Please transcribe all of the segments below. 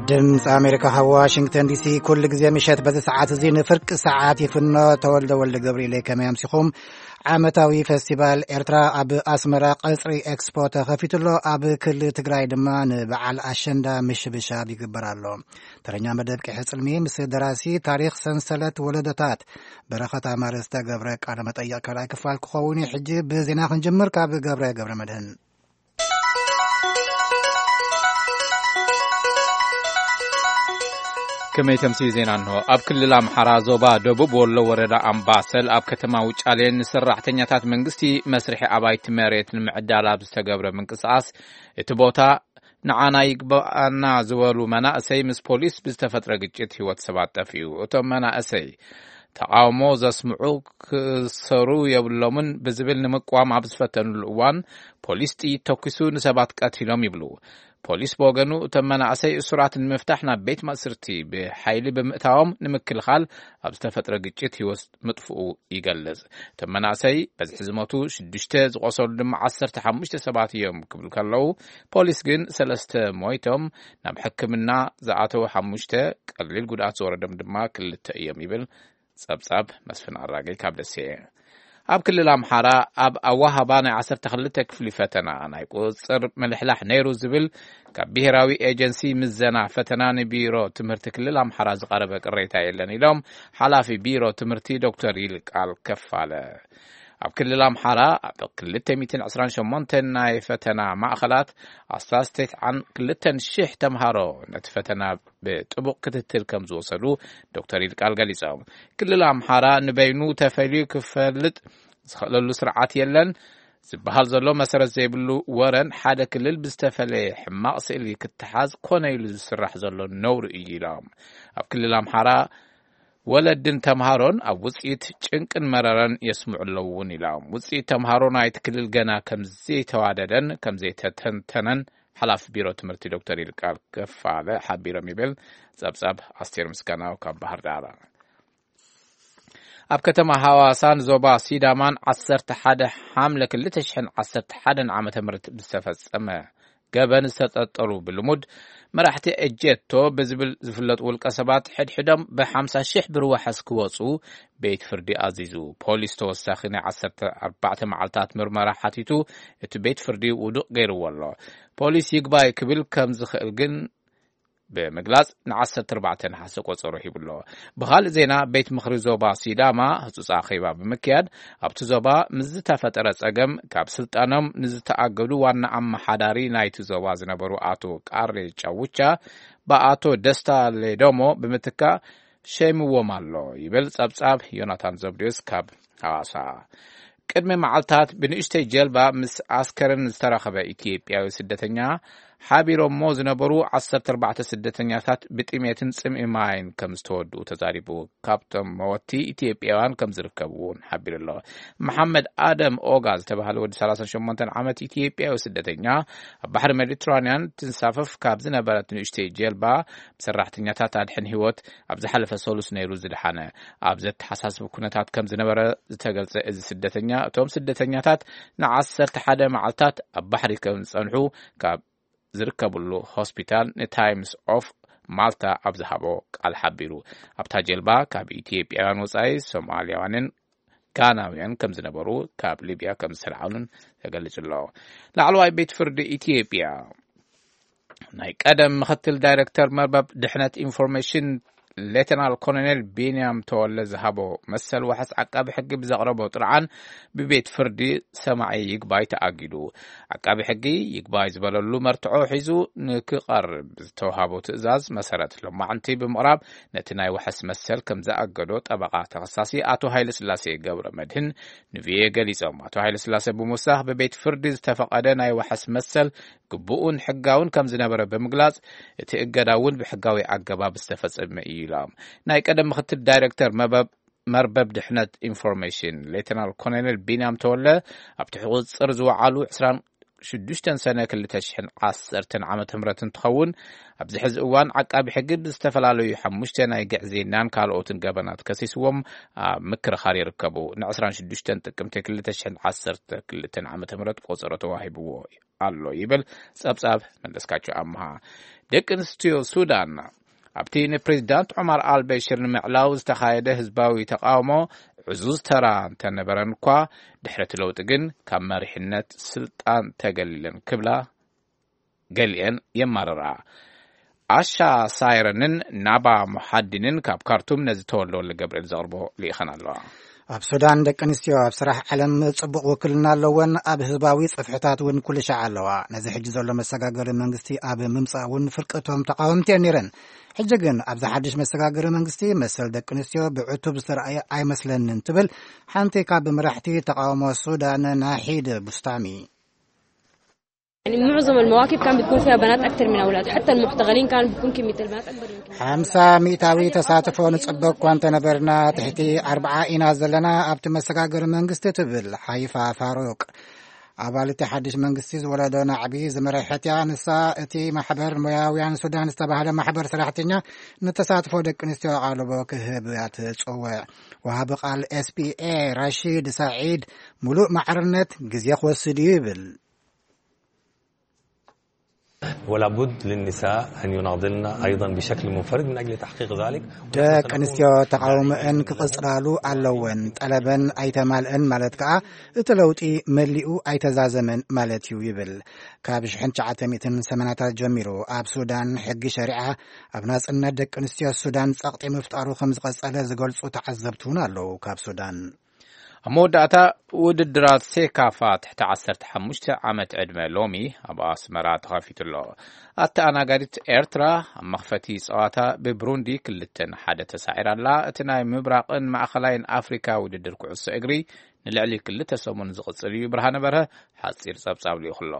ድምፂ ኣሜሪካ ካብ ዋሽንግተን ዲሲ ኩሉ ግዜ ምሸት በዚ ሰዓት እዚ ንፍርቂ ሰዓት ይፍኖ። ተወልደ ወልደ ገብርኤል፣ ከመይ ኣምሲኹም? ዓመታዊ ፈስቲቫል ኤርትራ ኣብ ኣስመራ ቀጽሪ ኤክስፖ ተኸፊቱ ኣሎ። ኣብ ክልል ትግራይ ድማ ንበዓል ኣሸንዳ ምሽብሻብ ይግበር ኣሎ። ተረኛ መደብ ቂሐ ጽልሚ ምስ ደራሲ ታሪኽ ሰንሰለት ወለዶታት በረኸት ኣማረ ዝተገብረ ቃለ መጠይቕ ካልኣይ ክፋል ክኸውን እዩ። ሕጂ ብዜና ክንጅምር። ካብ ገብረ ገብረ መድህን። ከመይ ተምሲ ዜና እንሆ። ኣብ ክልል ኣምሓራ ዞባ ደቡብ ወሎ ወረዳ ኣምባሰል ኣብ ከተማ ውጫሌ ንሰራሕተኛታት መንግስቲ መስርሒ ኣባይቲ መሬት ንምዕዳል ኣብ ዝተገብረ ምንቅስቓስ እቲ ቦታ ንዓና ይግባኣና ዝበሉ መናእሰይ ምስ ፖሊስ ብዝተፈጥረ ግጭት ህይወት ሰባት ጠፊኡ። እቶም መናእሰይ ተቓውሞ ዘስምዑ ክእሰሩ የብሎምን ብዝብል ንምቅዋም ኣብ ዝፈተኑሉ እዋን ፖሊስ ጥይት ተኩሱ ንሰባት ቀቲሎም ይብሉ። ፖሊስ ብወገኑ እቶም መናእሰይ እሱራት ንምፍታሕ ናብ ቤት ማእስርቲ ብሓይሊ ብምእታዎም ንምክልኻል ኣብ ዝተፈጥረ ግጭት ህይወት ምጥፍኡ ይገልጽ። እቶም መናእሰይ በዝሒ ዝሞቱ ሽዱሽተ፣ ዝቆሰሉ ድማ ዓሰርተ ሓሙሽተ ሰባት እዮም ክብሉ ከለዉ፣ ፖሊስ ግን ሰለስተ ሞይቶም፣ ናብ ሕክምና ዝኣተዉ ሓሙሽተ፣ ቀሊል ጉድኣት ዝወረዶም ድማ ክልተ እዮም ይብል ጸብጻብ መስፍን ኣራገይ ካብ ደሴ። ኣብ ክልል ኣምሓራ ኣብ ኣዋሃባ ናይ ዓሰርተ ክልተ ክፍሊ ፈተና ናይ ቁጽጽር ምልሕላሕ ነይሩ ዝብል ካብ ብሄራዊ ኤጀንሲ ምዘና ፈተና ንቢሮ ትምህርቲ ክልል ኣምሓራ ዝቐረበ ቅሬታ የለን ኢሎም ሓላፊ ቢሮ ትምህርቲ ዶክተር ይልቃል ከፋለ። ኣብ ክልል ኣምሓራ ኣብ ክልተ ሚእትን ዕስራን ሸሞንተን ናይ ፈተና ማእኸላት ኣስታት ተስዓን ክልተን ሽሕ ተምሃሮ ነቲ ፈተና ብጥቡቕ ክትትል ከም ዝወሰዱ ዶክተር ይልቃል ገሊጾም። ክልል ኣምሓራ ንበይኑ ተፈልዩ ክፈልጥ ዝኽእለሉ ስርዓት የለን ዝበሃል ዘሎ መሰረት ዘይብሉ ወረን ሓደ ክልል ብዝተፈለየ ሕማቕ ስእሊ ክተሓዝ ኮነ ኢሉ ዝስራሕ ዘሎ ነውሪ እዩ ኢሎም። ኣብ ክልል ኣምሓራ ወለድን ተምሃሮን ኣብ ውጽኢት ጭንቅን መረረን የስምዑ ኣለዉ እውን ኢሎም። ውጽኢት ተምሃሮ ናይቲ ክልል ገና ከም ዘይተዋደደን ከም ዘይተተንተነን ሓላፊ ቢሮ ትምህርቲ ዶክተር ይልቃል ከፋለ ሓቢሮም ይብል ጸብጻብ ኣስቴር ምስጋናው ካብ ባህር ዳር። ኣብ ከተማ ሃዋሳን ዞባ ሲዳማን ዓሰርተ ሓደ ሓምለ ክልተ ሽሕን ዓሰርተ ሓደን ዓመተ ምህረት ብዝተፈጸመ ገበን ዝተጠርጠሩ ብልሙድ መራሕቲ ኤጀቶ ብዝብል ዝፍለጡ ውልቀ ሰባት ሕድሕዶም ብሓምሳ ሽሕ ብር ዋሕስ ክወጹ ቤት ፍርዲ ኣዚዙ። ፖሊስ ተወሳኺ ናይ ዓሰርተ ኣርባዕተ መዓልታት ምርመራ ሓቲቱ እቲ ቤት ፍርዲ ውዱቕ ገይርዎ ኣሎ። ፖሊስ ይግባይ ክብል ከም ዝኽእል ግን ብምግላጽ ንዓሰርተ ኣርባዕተ ነሓሰ ቆጸሮ ሂቡ ኣሎ። ብኻልእ ዜና ቤት ምኽሪ ዞባ ሲዳማ ህጹጽ ኣኼባ ብምክያድ ኣብቲ ዞባ ምስ ዝተፈጠረ ጸገም ካብ ስልጣኖም ንዝተኣገዱ ዋና ኣመሓዳሪ ናይቲ ዞባ ዝነበሩ ኣቶ ቃሬ ጫውቻ ብኣቶ ደስታ ሌዶሞ ብምትካ ሸይምዎም ኣሎ ይብል ጸብጻብ ዮናታን ዘብዴዎስ ካብ ሃዋሳ። ቅድሚ መዓልታት ብንእሽተይ ጀልባ ምስ ኣስከረን ዝተረኸበ ኢትዮጵያዊ ስደተኛ ሓቢሮሞ ዝነበሩ ዓሰርተ ኣርባዕተ ስደተኛታት ብጥሜትን ጽምኢ ማይን ከም ዝተወድኡ ተዛሪቡ። ካብቶም መወቲ ኢትዮጵያውያን ከም ዝርከቡ እውን ሓቢሩ ኣሎ። መሓመድ ኣደም ኦጋ ዝተባህለ ወዲ ሰላሳን ሸሞንተን ዓመት ኢትዮጵያዊ ስደተኛ ኣብ ባሕሪ ሜዲትራንያን ትንሳፈፍ ካብ ዝነበረት ንእሽተይ ጀልባ ብሰራሕተኛታት ኣድሕን ህይወት ኣብ ዝሓለፈ ሰሉስ ነይሩ ዝደሓነ። ኣብ ዘተሓሳስብ ኩነታት ከም ዝነበረ ዝተገልጸ እዚ ስደተኛ፣ እቶም ስደተኛታት ንዓሰርተ ሓደ መዓልታት ኣብ ባሕሪ ከም ዝጸንሑ ካብ ዝርከብሉ ሆስፒታል ንታይምስ ኦፍ ማልታ ኣብ ዝሃቦ ቃል ሓቢሩ። ኣብታ ጀልባ ካብ ኢትዮጵያውያን ወጻኢ ሶማልያውያንን ጋናውያን ከም ዝነበሩ፣ ካብ ሊብያ ከም ዝተልዓሉን ተገሊጹ ኣሎ። ላዕለዋይ ቤት ፍርዲ ኢትዮጵያ ናይ ቀደም ምኽትል ዳይሬክተር መርበብ ድሕነት ኢንፎርሜሽን ሌተናል ኮሎኔል ቢንያም ተወለ ዝሃቦ መሰል ዋሕስ ዓቃቢ ሕጊ ብዘቕረቦ ጥርዓን ብቤት ፍርዲ ሰማዒ ይግባይ ተኣጊዱ። ዓቃቢ ሕጊ ይግባይ ዝበለሉ መርትዖ ሒዙ ንክቐርብ ዝተውሃቦ ትእዛዝ መሰረት ሎማዕንቲ ብምቕራብ ነቲ ናይ ዋሕስ መሰል ከም ዝኣገዶ ጠበቓ ተኸሳሲ ኣቶ ሃይለስላሴ ገብረ መድህን ንቪኦኤ ገሊጾም። ኣቶ ሃይለስላሴ ብምውሳኽ ብቤት ፍርዲ ዝተፈቐደ ናይ ዋሕስ መሰል ግቡእን ሕጋውን ከም ዝነበረ ብምግላጽ እቲ እገዳ እውን ብሕጋዊ ኣገባብ ዝተፈጸመ እዩ ኢሎም። ናይ ቀደም ምኽትል ዳይሬክተር መበብ መርበብ ድሕነት ኢንፎርሜሽን ሌተናል ኮሎኔል ቢንያም ተወለ ኣብቲ ሕቁጽር ዝወዓሉ ዕስራን ሽዱሽተ ሰነ ክልተ ሽሕን ዓሰርተን ዓመተ ምህረት እንትኸውን፣ ኣብዚ ሕዚ እዋን ዓቃቢ ሕጊ ብዝተፈላለዩ ሓሙሽተ ናይ ግዕዝይናን ካልኦትን ገበናት ከሲስዎም ኣብ ምክርኻር ይርከቡ። ን ዕስራን ሽዱሽተን ጥቅምቲ ክልተ ሽሕን ዓሰርተ ክልተን ዓመተ ምህረት ቆጸሮ ተዋሂብዎ ኣሎ ይብል ጸብጻብ መለስካቸው ኣምሃ። ደቂ ኣንስትዮ ሱዳን ኣብቲ ንፕሬዚዳንት ዑማር ኣልበሽር ንምዕላው ዝተኻየደ ህዝባዊ ተቃውሞ ዕዙዝ ተራ እንተነበረን እኳ፣ ድሕሪ እቲ ለውጢ ግን ካብ መሪሕነት ስልጣን ተገሊለን ክብላ ገሊአን የማርራ። ኣሻ ሳይረንን ናባ ሙሓዲንን ካብ ካርቱም ነዚ ተወልደወልደ ገብርኤል ዘቕርቦ ልኢኸን ኣለዋ። ኣብ ሱዳን ደቂ ኣንስትዮ ኣብ ስራሕ ዓለም ጽቡቕ ውክልና ኣለወን። ኣብ ህዝባዊ ጽፍሕታት እውን ኩሉ ሻዕ ኣለዋ። ነዚ ሕጂ ዘሎ መሰጋገሪ መንግስቲ ኣብ ምምጻእ እውን ፍርቂ እቶም ተቃወምቲ እየን ነይረን። ሕጂ ግን ኣብዚ ሓድሽ መሰጋገሪ መንግስቲ መሰል ደቂ ኣንስትዮ ብዕቱብ ዝተረኣየ ኣይመስለንን ትብል ሓንቲ ካብ መራሕቲ ተቃውሞ ሱዳን ናሒድ ቡስታሚ። يعني معظم المواكب كان بتكون فيها بنات أكثر من أولاد، حتى المحتغلين كان بيكون كمية البنات أكبر من كمية. ሓምሳ ሚእታዊ ተሳትፎ ንጽበ እኳ እንተነበርና፣ ትሕቲ ኣርብዓ ኢና ዘለና ኣብቲ መሰጋገሪ መንግስቲ፣ ትብል ሓይፋ ፋሩቅ። ኣባል እቲ ሓድሽ መንግስቲ ዝወለዶ ናዕቢ ዝመረሐት እያ። ንሳ እቲ ማሕበር ሞያውያን ሱዳን ዝተባህለ ማሕበር ሰራሕተኛ ንተሳትፎ ደቂ ኣንስትዮ ኣቓልቦ ክህብ እያ ትጽውዕ። ወሃቢ ቃል ኤስፒኤ ራሺድ ሳዒድ፣ ሙሉእ ማዕርነት ግዜ ክወስድ እዩ ይብል። ولابد للنساء أن يناضلن أيضا بشكل منفرد من أجل تحقيق ذلك. ደቂ ኣንስትዮ ተቃውሞአን ክቕጽላሉ ኣለወን። ጠለበን ኣይተማልአን ማለት ከኣ እቲ ለውጢ መሊኡ ኣይተዛዘመን ማለት እዩ ይብል። ካብ ሽሕን ትሽዓተ ሚእትን ሰማንያታት ጀሚሩ ኣብ ሱዳን ሕጊ ሸሪዓ ኣብ ናጽነት ደቂ ኣንስትዮ ሱዳን ጸቕጢ ምፍጣሩ ከም ዝቐጸለ ዝገልጹ ተዓዘብቲ እውን ኣለዉ ካብ ሱዳን። ኣብ መወዳእታ፣ ውድድራት ሴካፋ ትሕቲ ዓሰርተ ሓሙሽተ ዓመት ዕድመ ሎሚ ኣብ ኣስመራ ተኸፊቱ ኣሎ። ኣተኣናጋዲት ኤርትራ ኣብ መኽፈቲ ጸዋታ ብብሩንዲ ክልተ ንሓደ ተሳዒራ ኣላ። እቲ ናይ ምብራቕን ማእኸላይን ኣፍሪካ ውድድር ኩዕሶ እግሪ ንልዕሊ ክልተ ሰሙን ዝቕጽል እዩ። ብርሃነ በርሀ ሓጺር ጸብጻብ ልኢኹ ኣሎ።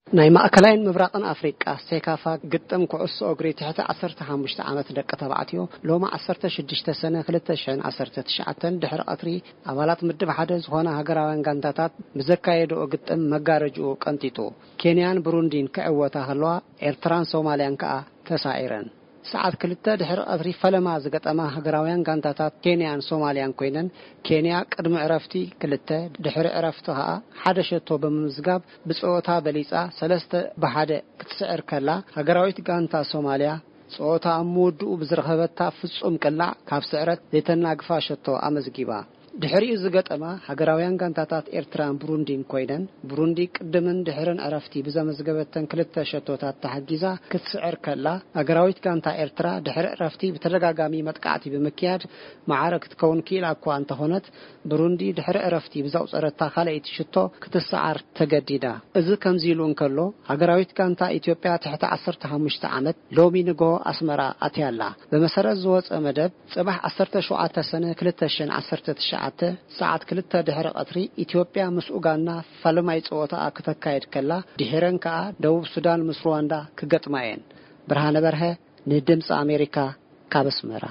ናይ ማእከላይን ምብራቕን ኣፍሪቃ ሴካፋ ግጥም ኩዕሶ እግሪ ትሕቲ ዓሰርተ ሓሙሽተ ዓመት ደቂ ተባዕትዮ ሎሚ ዓሰርተ ሽዱሽተ ሰነ ክልተ ሽሕን ዓሰርተ ትሽዓተን ድሕሪ ቀትሪ ኣባላት ምድብ ሓደ ዝኾና ሃገራውያን ጋንታታት ብዘካየድኦ ግጥም መጋረጅኡ ቀንጢጡ። ኬንያን ብሩንዲን ክዕወታ ከለዋ ኤርትራን ሶማልያን ከኣ ተሳዒረን። ሰዓት ክልተ ድሕሪ ቀትሪ ፈለማ ዝገጠማ ሃገራውያን ጋንታታት ኬንያን ሶማልያን ኮይነን፣ ኬንያ ቅድሚ ዕረፍቲ ክልተ፣ ድሕሪ ዕረፍቲ ከኣ ሓደ ሸቶ ብምምዝጋብ ብጸወታ በሊጻ ሰለስተ ብሓደ ክትስዕር ከላ፣ ሃገራዊት ጋንታ ሶማልያ ጸወታ ኣብ ምውድኡ ብዝረኸበታ ፍጹም ቅላዕ ካብ ስዕረት ዘይተናግፋ ሸቶ ኣመዝጊባ። ድሕሪኡ ዝገጠማ ሃገራውያን ጋንታታት ኤርትራን ብሩንዲን ኮይነን፣ ብሩንዲ ቅድምን ድሕርን ዕረፍቲ ብዘመዝገበተን ክልተ ሸቶታት ተሓጊዛ ክትስዕር ከላ፣ ሃገራዊት ጋንታ ኤርትራ ድሕሪ ዕረፍቲ ብተደጋጋሚ መጥቃዕቲ ብምክያድ መዓረ ክትከውን ክኢላ እኳ እንተኾነት፣ ብሩንዲ ድሕሪ ዕረፍቲ ብዘቑጸረታ ካልኣይቲ ሽቶ ክትሰዓር ተገዲዳ። እዚ ከምዚ ኢሉ እንከሎ፣ ሃገራዊት ጋንታ ኢትዮጵያ ትሕቲ ዓሰርተ ሓሙሽተ ዓመት ሎሚ ንግሆ ኣስመራ ኣትያ ኣላ። ብመሰረት ዝወጸ መደብ፣ ጽባሕ ዓሰርተ ሸውዓተ ሰነ ክልተ ሽሕን ዓሰርተ ትሽዓተ ሰዓት ክልተ ድሕሪ ቀትሪ ኢትዮጵያ ምስ ኡጋንዳ ፈለማይ ጸወታኣ ክተካየድ ከላ፣ ድሒረን ከኣ ደቡብ ሱዳን ምስ ሩዋንዳ ክገጥማ እየን። ብርሃነ በርሀ ንድምጺ ኣሜሪካ ካብ ኣስመራ።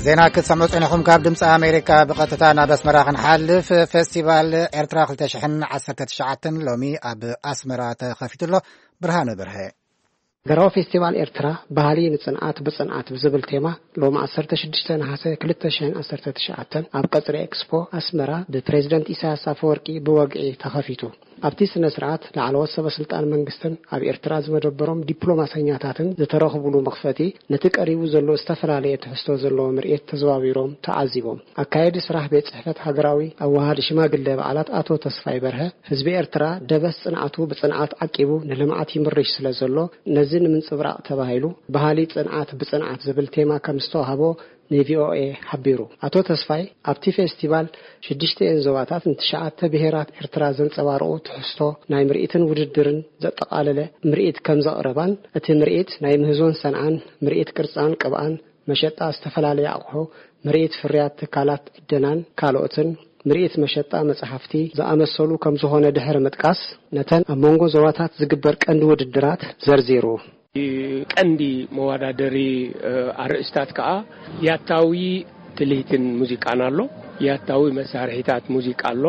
ዜና ክትሰምዑ ጸኒኹም ካብ ድምፂ ኣሜሪካ ብቐጥታ ናብ ኣስመራ ክንሓልፍ። ፌስቲቫል ኤርትራ ክልተ ሽሕን ዓሰርተ ትሽዓተን ሎሚ ኣብ ኣስመራ ተኸፊቱ ኣሎ። ብርሃነ በርሀ። ሃገራዊ ፌስቲቫል ኤርትራ ባህሊ ንጽንዓት ብጽንዓት ብዝብል ቴማ ሎም ዓሰርተ ሽዱሽተ ነሓሰ ክልተ ሽሕን ዓሰርተ ትሽዓተን ኣብ ቀጽሪ ኤክስፖ ኣስመራ ብፕሬዝደንት ኢሳያስ ኣፈወርቂ ብወግዒ ተኸፊቱ። ኣብቲ ስነ ስርዓት ላዕለዎት ሰበ ስልጣን መንግስትን ኣብ ኤርትራ ዝመደበሮም ዲፕሎማሰኛታትን ዝተረኽቡሉ መኽፈቲ ነቲ ቀሪቡ ዘሎ ዝተፈላለየ ትሕዝቶ ዘለዎ ምርኢት ተዘዋዊሮም ተዓዚቦም። ኣካየዲ ስራሕ ቤት ጽሕፈት ሃገራዊ ኣዋሃዲ ሽማግለ በዓላት ኣቶ ተስፋይ በርሀ ህዝቢ ኤርትራ ደበስ ጽንዓቱ ብጽንዓት ዓቂቡ ንልምዓት ይምርሽ ስለ ዘሎ ነዚ ንምንጽብራቕ ተባሂሉ ባህሊ ጽንዓት ብጽንዓት ዝብል ቴማ ከም ዝተዋህቦ ንቪኦኤ ሓቢሩ። ኣቶ ተስፋይ ኣብቲ ፌስቲቫል ሽዱሽተ እየን ዞባታት ንትሽዓተ ብሄራት ኤርትራ ዘንጸባርቑ ትሕዝቶ ናይ ምርኢትን ውድድርን ዘጠቓለለ ምርኢት ከም ዘቕረባን እቲ ምርኢት ናይ ምህዞን ሰንዓን ምርኢት ቅርጻን ቅብኣን መሸጣ ዝተፈላለየ ኣቑሑ ምርኢት ፍርያት ትካላት ዕደናን ካልኦትን ምርኢት መሸጣ መጽሓፍቲ ዝኣመሰሉ ከም ዝኾነ ድሕሪ ምጥቃስ ነተን ኣብ መንጎ ዞባታት ዝግበር ቀንዲ ውድድራት ዘርዚሩ። ቀንዲ መወዳደሪ ኣርእስታት ከኣ ያታዊ ትልሂትን ሙዚቃን ኣሎ። ያታዊ መሳርሒታት ሙዚቃ ኣሎ።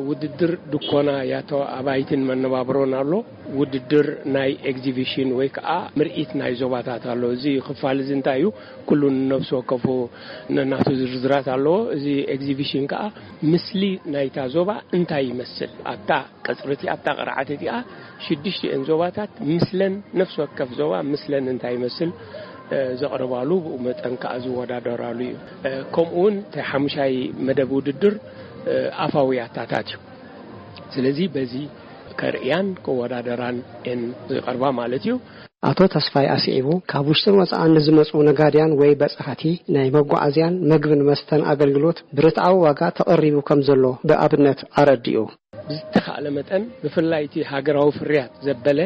ውድድር ድኮና ያታዊ ኣባይትን መነባብሮን ኣሎ። ውድድር ናይ ኤግዚቢሽን ወይ ከዓ ምርኢት ናይ ዞባታት ኣሎ። እዚ ክፋል እዚ እንታይ እዩ? ኩሉ ንነፍሲ ወከፉ ነናቱ ዝርዝራት ኣለዎ። እዚ ኤግዚቢሽን ከዓ ምስሊ ናይታ ዞባ እንታይ ይመስል ኣብታ ቀጽሪ እቲ ኣብታ ቅርዓት እቲኣ ሽዱሽቲኤን ዞባታት ምስለን ነፍሲ ወከፍ ዞባ ምስለን እንታይ ይመስል ዘቕርባሉ ብኡ መጠን ከዓ ዝወዳደራሉ እዩ። ከምኡ እውን እቲ ሓሙሻይ መደብ ውድድር ኣፋዊ ኣታታት እዩ። ስለዚ በዚ ከርእያን ክወዳደራን እየን ዝቐርባ ማለት እዩ። ኣቶ ተስፋይ ኣስዒቡ፣ ካብ ውሽጥን ወፃእን ንዝመፁ ነጋድያን ወይ በፃሕቲ ናይ መጓዓዝያን መግብን መስተን ኣገልግሎት ብርትዓዊ ዋጋ ተቐሪቡ ከም ዘሎ ብኣብነት ኣረዲኡ። ብዝተኻእለ መጠን ብፍላይ እቲ ሃገራዊ ፍርያት ዘበለ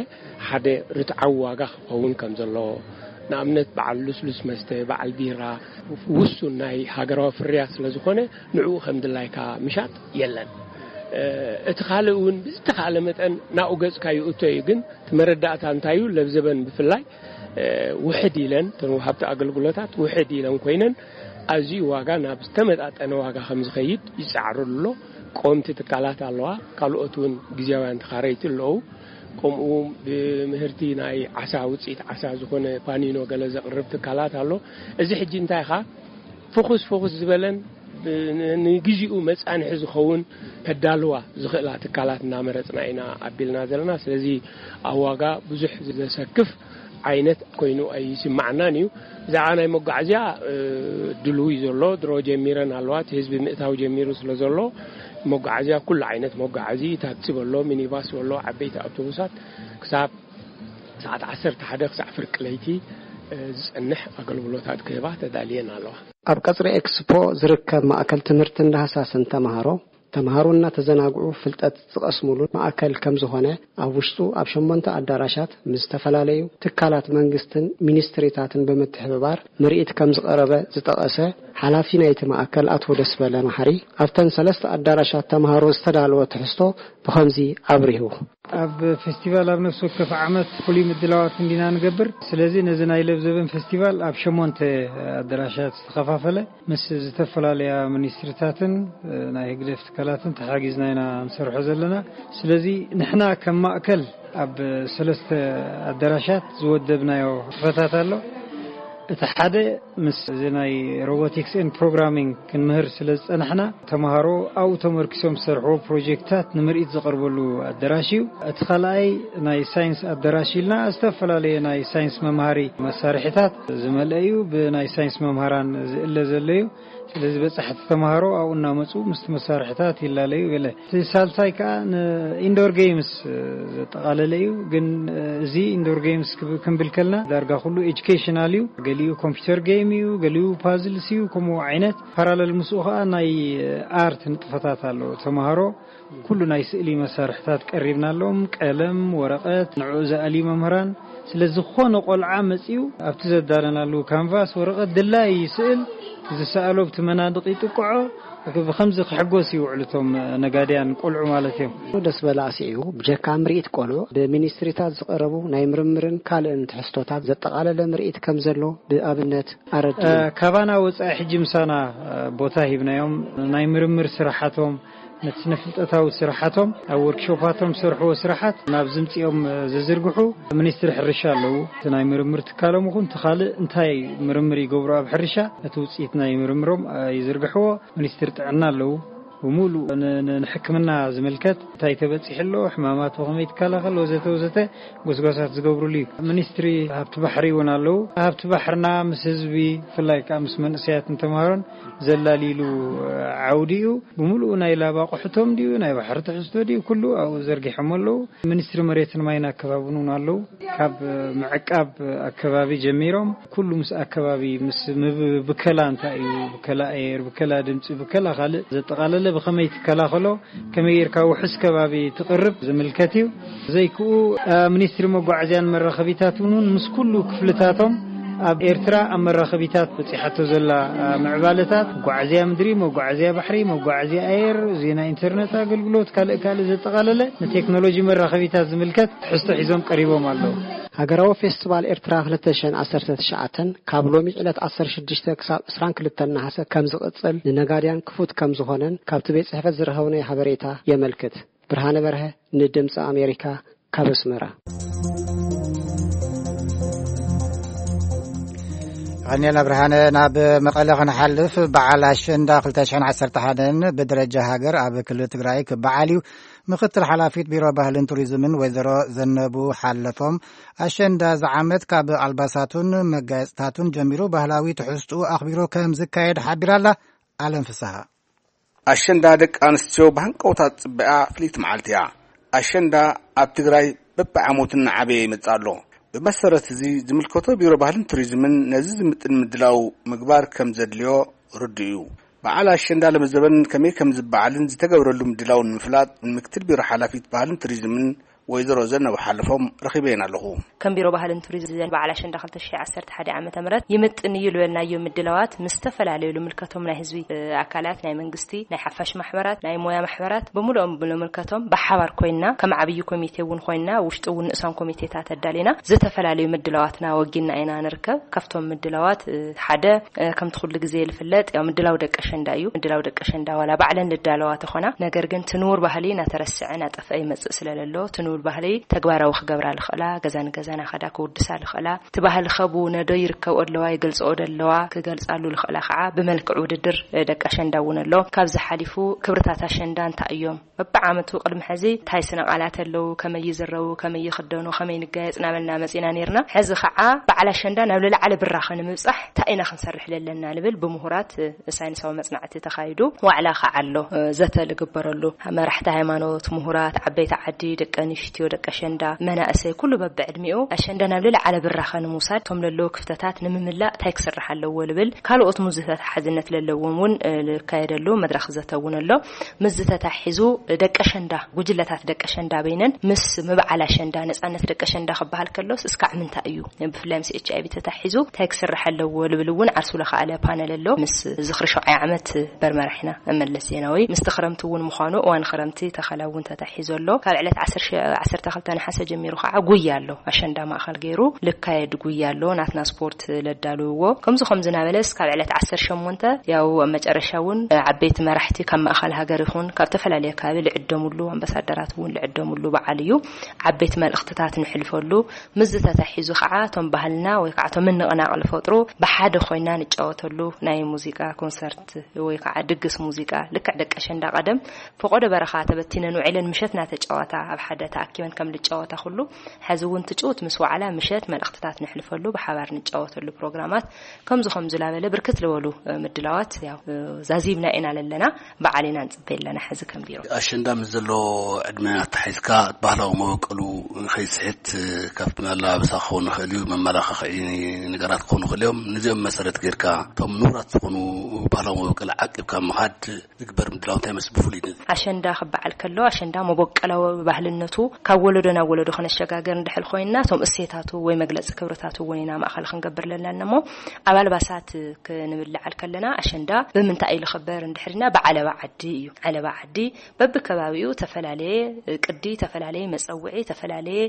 ሓደ ርትዓዊ ዋጋ ክኸውን ከም ዘለዎ፣ ንኣብነት በዓል ልስሉስ መስተ፣ በዓል ቢራ፣ ውሱን ናይ ሃገራዊ ፍርያት ስለ ዝኾነ ንዕኡ ከም ድላይካ ምሻጥ የለን። እቲ ካልእ እውን ብዝተኻእለ መጠን ናብኡ ገጽካ ይእቶ እዩ። ግን እቲ መረዳእታ እንታይ እዩ? ለብዘበን ብፍላይ ውሕድ ኢለን፣ እተን ወሃብቲ ኣገልግሎታት ውሕድ ኢለን ኮይነን ኣዝዩ ዋጋ ናብ ዝተመጣጠነ ዋጋ ከም ዝኸይድ ይጻዕሩ ኣሎ። ቆምቲ ትካላት ኣለዋ፣ ካልኦት እውን ግዜያውያን ተኻረይቲ ኣለዉ። ከምኡ ብምህርቲ ናይ ዓሳ፣ ውፅኢት ዓሳ ዝኾነ ፓኒኖ ገለ ዘቕርብ ትካላት ኣሎ። እዚ ሕጂ እንታይ ኢኻ ፍኹስ ፍኹስ ዝበለን ንግዜኡ መጻንሒ ዝኸውን ከዳልዋ ዝኽእላ ትካላት እናመረጽና ኢና ኣቢልና ዘለና። ስለዚ ኣብ ዋጋ ብዙሕ ዘሰክፍ ዓይነት ኮይኑ ኣይስማዓናን እዩ። ብዛዕባ ናይ መጓዓዝያ ድልው እዩ ዘሎ። ድሮ ጀሚረን ኣለዋ፣ እቲ ህዝቢ ምእታው ጀሚሩ ስለ ዘሎ መጓዓዝያ፣ ኩሉ ዓይነት መጓዓዚ፣ ታክሲ በሎ፣ ሚኒባስ በሎ፣ ዓበይቲ ኣውቶቡሳት ክሳብ ሰዓት ዓሰርተ ሓደ ክሳዕ ፍርቂ ለይቲ ዝጸንሕ ኣገልግሎታት ክህባ ተዳልየን ኣለዋ። ኣብ ቀጽሪ ኤክስፖ ዝርከብ ማእከል ትምህርትን ዳህሳስን ተማሃሮ፣ ተማሃሮ እናተዘናግዑ ፍልጠት ዝቐስሙሉ ማእከል ከም ዝኾነ፣ ኣብ ውሽጡ ኣብ ሸሞንተ ኣዳራሻት ምስ ዝተፈላለዩ ትካላት መንግስትን ሚኒስትሪታትን ብምትሕብባር ምርኢት ከም ዝቐረበ ዝጠቐሰ ሓላፊ ናይቲ ማእከል ኣቶ ደስበለ መሓሪ፣ ኣብተን ሰለስተ ኣዳራሻት ተማሃሮ ዝተዳለወ ትሕዝቶ ብኸምዚ ኣብሪሁ። ኣብ ፌስቲቫል ኣብ ነፍሲ ወከፍ ዓመት ፍሉይ ምድላዋት እንዲና ንገብር። ስለዚ ነዚ ናይ ለብዘበን ፌስቲቫል ኣብ ሸሞንተ ኣዳራሻት ዝተኸፋፈለ፣ ምስ ዝተፈላለያ ሚኒስትሪታትን ናይ ህግደፍ ትካላትን ተሓጊዝና ኢና ንሰርሖ ዘለና። ስለዚ ንሕና ከም ማእከል ኣብ ሰለስተ ኣዳራሻት ዝወደብናዮ ክፈታት ኣሎ። እቲ ሓደ ምስ እዚ ናይ ሮቦቲክስ ኤንድ ፕሮግራሚንግ ክንምህር ስለ ዝጸናሕና፣ ተማሃሮ ኣብኡ ተመርኪሶም ዝሰርሕዎ ፕሮጀክትታት ንምርኢት ዝቐርበሉ ኣዳራሽ እዩ። እቲ ካልኣይ ናይ ሳይንስ ኣዳራሽ ኢልና ዝተፈላለየ ናይ ሳይንስ መምሃሪ መሳርሒታት ዝመልአ እዩ። ብናይ ሳይንስ መምሃራን ዝእለ ዘሎ እዩ። ስለዚ በጻሕቲ ተማሃሮ ኣብኡ እናመጹ ምስቲ መሳርሒታት ይላለዩ ገለ። እቲ ሳልሳይ ከኣ ንኢንዶር ጌምስ ዘጠቓለለ እዩ። ግን እዚ ኢንዶር ጌምስ ክብ-፣ ክንብል ከልና ዳርጋ ኩሉ ኤጁኬሽናል እዩ። ገሊኡ ኮምፒውተር ጌም እዩ፣ ገሊኡ ፓዝልስ እዩ። ከምኡ ዓይነት ፓራለል ምስኡ ከኣ ናይ ኣርት ንጥፈታት ኣሎ። ተማሃሮ ኩሉ ናይ ስእሊ መሳርሕታት ቀሪብናሎም፣ ቀለም፣ ወረቐት፣ ንዕኡ ዝኣልዩ መምህራን። ስለ ዝኾነ ቆልዓ መጺኡ ኣብቲ ዘዳለናሉ ካንቫስ ወረቐት ድላዩ ይስእል፣ ዝሰኣሎ ኣብቲ መናድቕ ይጥቅዖ። ብኸምዚ ክሕጎስ ይውዕሉ እቶም ነጋድያን ቆልዑ ማለት እዮም። ደስ በለ ኣስዒቡ፣ ብጀካ ምርኢት ቆልዑ፣ ብሚኒስትሪታት ዝቐረቡ ናይ ምርምርን ካልእን ትሕዝቶታት ዘጠቓለለ ምርኢት ከም ዘሎ ብኣብነት ኣረዲኡ። እ፣ ካባና ወጻኢ ሕጂ ምሳና፣ እ፣ ቦታ ሂብናዮም። ናይ ምርምር ስራሓቶም፣ ነቲ ስነ ፍልጠታዊ ስራሓቶም፣ ኣብ ወርክሾፓቶም ዝሰርሕዎ ስራሓት ናብ ዝምጽኦም፣ እ፣ ዝዝርግሑ ሚኒስትሪ ሕርሻ ኣለዉ። እቲ ናይ ምርምር ትካሎም ይኹን እቲ ካልእ እንታይ ምርምር ይገብሩ ኣብ ሕርሻ፣ ነቲ ውጽኢት ናይ ምርምሮም፣ እ፣ ይዝርግሕዎ። ሚኒስትሪ ጥዕና ኣለዉ። ብምሉእ ን-፣ ን-፣ ንሕክምና ዝምልከት እንታይ ተበጺሑ ኣሎ፣ ሕማማት ብኸመይ ትከላኸል፣ ወዘተ ወዘተ ጎስጓሳት ዝገብሩሉ እዩ። ሚኒስትሪ ሃብቲ ባሕሪ እውን ኣለዉ። ሃብቲ ባሕርና ምስ ህዝቢ፣ ብፍላይ ከኣ ምስ መንእሰያትን ተምሃሮን ዘላሊሉ ዓውዲ እዩ። ብምሉኡ ናይ ላብ ኣቑሑቶም ድዩ፣ ናይ ባሕሪ ትሕዝቶ ድዩ፣ ኩሉ ኣብኡ ዘርጊሖም ኣለዉ። ሚኒስትሪ መሬትን ማይን ኣከባብን እውን ኣለዉ። ካብ ምዕቃብ ኣከባቢ ጀሚሮም ኩሉ ምስ ኣከባቢ፣ ምስ ምብ-፣ ብከላ እንታይ እዩ፣ ብከላ ኣየር፣ ብከላ ድምፂ፣ ብከላ ካልእ ዘጠቓለለ ብኸመይ ትከላኸሎ፣ ከመይ ጌርካ ውሑስ ከባቢ ትቕርብ ዝምልከት እዩ። ዘይክኡ፣ እ፣ ሚኒስትሪ መጓዓዝያን መራኸቢታት እውን ምስ ኩሉ ክፍልታቶም ኣብ ኤርትራ ኣብ መራኸቢታት በፂሓቶ ዘላ፣ እ፣ ምዕባለታት፣ መጓዓዝያ ምድሪ፣ መጓዓዝያ ባሕሪ፣ መጓዓዝያ ኣየር፣ ዜና ኢንተርነት ኣገልግሎት፣ ካልእ ካልእ ዘጠቓለለ ንቴክኖሎጂ መራኸቢታት ዝምልከት ትሕዝቶ ሒዞም ቀሪቦም ኣለዉ። ሃገራዊ ፌስቲቫል ኤርትራ ክልተ ሽሕን ዓሰርተ ትሽዓተን ካብ ሎሚ ዕለት ዓሰርተ ሽዱሽተ ክሳብ ዕስራን ክልተን ነሓሰ ከም ዝቕጽል ንነጋድያን ክፉት ከም ዝኾነን ካብቲ ቤት ጽሕፈት ዝረኸብናዮ ሓበሬታ የመልክት። ብርሃነ በርሀ ንድምጺ ኣሜሪካ ካብ ኣስመራ። ቀኒልና ብርሃነ። ናብ መቐለ ክንሓልፍ፣ በዓል ኣሸንዳ ክልተ ሽሕን ዓሰርተ ሓደን ብደረጃ ሃገር ኣብ ክልል ትግራይ ክበዓል እዩ። ምክትል ሓላፊት ቢሮ ባህልን ቱሪዝምን ወይዘሮ ዘነቡ ሓለፎም፣ ኣሸንዳ ዝዓመት ካብ ኣልባሳቱን መጋየፅታቱን ጀሚሩ ባህላዊ ትሕዝትኡ ኣኽቢሩ ከም ዝካየድ ሓቢራላ። ኣለም ፍስሃ። ኣሸንዳ ደቂ ኣንስትዮ ብሃንቀውታ ዝጽበያ ፍልይቲ መዓልቲ እያ። ኣሸንዳ ኣብ ትግራይ በብዓመቱ እናዓበየ ይመጽእ ኣሎ። ብመሰረት እዚ ዝምልከቶ ቢሮ ባህልን ቱሪዝምን ነዚ ዝምጥን ምድላው ምግባር ከም ዘድልዮ ርዱእ እዩ። በዓል ኣሸንዳ ለመዘበን ከመይ ከም ዝበዓልን ዝተገብረሉ ምድላውን ንምፍላጥ ንምክትል ቢሮ ሓላፊት ባህልን ቱሪዝምን ወይዘሮ ዘነቡ ሓለፎም ረኺበየን ኣለኹ። ከም ቢሮ ባህልን ቱሪዝም በዓል ኣሸንዳ ክልተ ሽሕ ዓሰርተ ሓደ ዓመተ ምህረት ይምጥን እዩ ዝበልናዮ ምድላዋት ምስ ዝተፈላለዩ ልምልከቶም ናይ ህዝቢ፣ እ፣ ኣካላት፣ ናይ መንግስቲ፣ ናይ ሓፋሽ ማሕበራት፣ ናይ ሞያ ማሕበራት፣ ብምሉኦም ልምልከቶም ብሓባር ኮይና፣ ከም ዓብዪ ኮሚቴ እውን ኮይና፣ ውሽጢ እውን ንእሳን ኮሚቴታት ኣዳሊና ዝተፈላለዩ ምድላዋትና ወጊና ኢና ንርከብ። ካብቶም ምድላዋት፣ እ፣ ሓደ፣ እ፣ ከምቲ ኩሉ ግዜ ዝፍለጥ ያው ምድላው ደቂ ኣሸንዳ እዩ። ምድላው ደቂ ኣሸንዳ ዋላ ባዕለን ልዳለዋ ተኾና፣ ነገር ግን እቲ ንቡር ባህሊ እናተረስዐ እናጠፍአ ይመጽእ ስለ ዘሎ፣ እቲ ንቡር ባህሊ ተግባራዊ ክገብራ ልኽእላ፣ ገዛ ንገዛ እናኸዳ ክውድሳ ልኽእላ፣ እቲ ባህሊ ከቡ ነዶ ይርከብኦ ኣለዋ፣ ይገልጽኦ ዶ ኣለዋ፣ ክገልጻሉ ልኽእላ ከዓ ብመልክዕ ውድድር፣ እ፣ ደቂ ኣሸንዳ እውን ኣሎ። ካብዚ ሓሊፉ ክብርታት ኣሸንዳ እንታይ እዮም? በብዓመቱ ቅድሚ ሕዚ እንታይ ስነ ቃላት ኣለዉ፣ ከመይ ይዝረቡ፣ ከመይ ይኽደኑ፣ ከመይ ንጋየጽ እናበልና መጺና ነይርና። ሕዚ ከዓ በዓል ኣሸንዳ ናብ ልዕሊ ዓለ ብራኸ ንምብጻሕ እንታይ ኢና ክንሰርሕ ለለና ንብል ብምሁራት፣ እ፣ ሳይንሳዊ መጽናዕቲ ተኻይዱ ዋዕላ ከዓ ኣሎ፣ እ፣ ዘተ ልግበረሉ። መራሕቲ ሃይማኖት፣ ምሁራት፣ ዓበይቲ ዓዲ፣ ደቂ ኣንስትዮ፣ ደቂ ኣሸንዳ፣ መናእሰይ፣ ኩሉ በብዕድሚኡ ኣሸንዳ ናብ ልዕሊ ዓለ ብራኸ ንምውሳድ፣ እቶም ለለዉ ክፍተታት ንምምላእ እንታይ ክስራሕ ኣለዎ ልብል፣ ካልኦት ምዝታት ሓዝነት ለለዎም እውን፣ እ፣ ልካየደሉ መድረኽ ዘተ እውን ኣሎ። ምስዚ ተታሒዙ ደቂ ኣሸንዳ፣ ጉጅለታት ደቂ ኣሸንዳ በይነን ምስ ምብዓል ኣሸንዳ፣ ነጻነት ደቂ ኣሸንዳ ክበሃል ከሎስ እስካዕ ምንታይ እዩ? ብፍላይ ምስ ኤች ኣይ ቪ ተታሒዙ እንታይ ክስራሕ ኣለዎ ልብል እውን ዓርሱ ለኸኣለ ፓነል ኣሎ። ምስ ዝኽሪ ሸውዓይ ዓመት በርመራሒና መለስ ዜናዊ ምስቲ ክረምቲ እውን ምዃኑ እዋን ክረምቲ ተኸላ እውን ተታሒዙ ኣሎ። ካብ ዕለት ዓሰርተ፣ ዓሰርተ ክልተ ነሓሰ ጀሚሩ ከዓ ጉያ ኣሎ። ኣሸንዳ ማእኸል ገይሩ ልካየድ ጉያ ኣሎ። ናትና ስፖርት ለዳልውዎ። ከምዚ ከምዚ እናበለስ ካብ ዕለት ዓሰርተ ሸሞንተ ያው ኣብ መጨረሻ እውን ዓበይቲ መራሕቲ ካብ ማእኸል ሃገር ይኹን ካብ ተፈላለየ ከባቢ ልዕደሙሉ፣ ኣምባሳደራት እውን ልዕደሙሉ በዓል እዩ። ዓበይቲ መልእኽትታት ንሕልፈሉ። ምስዚ ተታሒዙ ከዓ እቶም ባህልና ወይ ከዓ እቶም ምንቕናቕ ዝፈጥሩ ብሓደ ኮይና ንጫወተሉ ናይ ሙዚቃ ኮንሰርት ወይ ከዓ ድግስ ሙዚቃ፣ ልክዕ ደቂ ኣሸንዳ ቀደም ፈቆዶ በረኻ ተበቲነን ውዒለን ምሸት እናተጫወታ ኣብ ሓደ ተኣኪበን ከም ልጫወታ ኩሉ፣ ሕዚ እውን ትጭውት ምስ ዋዕላ ምሸት መልእኽትታት ንሕልፈሉ፣ ብሓባር ንጫወተሉ ፕሮግራማት ከምዚ ከምዚ ላበለ ብርክት ዝበሉ፣ እ፣ ምድላዋት ያው፣ እ፣ ዛዚምና ኢና ለለና፣ በዓል ኢና ንጽበ ኣለና። ሕዚ ከም ቢሮ ኣሸንዳ ምስ ዘሎ ዕድመ ኣተሓሒዝካ ባህላዊ መበቀሉ ንኸይስሕት፣ እ፣ ካብቲ ኣለባብሳ ክኸውን ይኽእል እዩ፣ መመላኻኽዒ ነገራት ክኾኑ ይኽእል እዮም። ነዚኦም መሰረት ጌርካ እቶም ንቡራት ዝኾኑ ባህላዊ መበቀል ዓቂብካ ምኻድ ዝግበር ምድላው እንታይ ይመስል ብፍሉይ ነዚ? ኣሸንዳ ክበዓል ከሎ ኣሸንዳ መበቀላዊ ባህልነቱ ካብ ወለዶ ናብ ወለዶ ከነሸጋገር እንድሕር ኮይንና እቶም እሴታቱ ወይ መግለፂ ክብርታቱ እውን ኢና ማእኸል ክንገብር ለለና እሞ ኣብ ኣልባሳት ክንብል ለዓል ከለና ኣሸንዳ ብምንታይ እዩ ዝኽበር እንድሕር ኢልና ብዓለባ ዓዲ እዩ። ዓለባ ዓዲ በብከባቢኡ ተፈላለየ ቅዲ፣ ተፈላለየ መፀውዒ፣ ተፈላለየ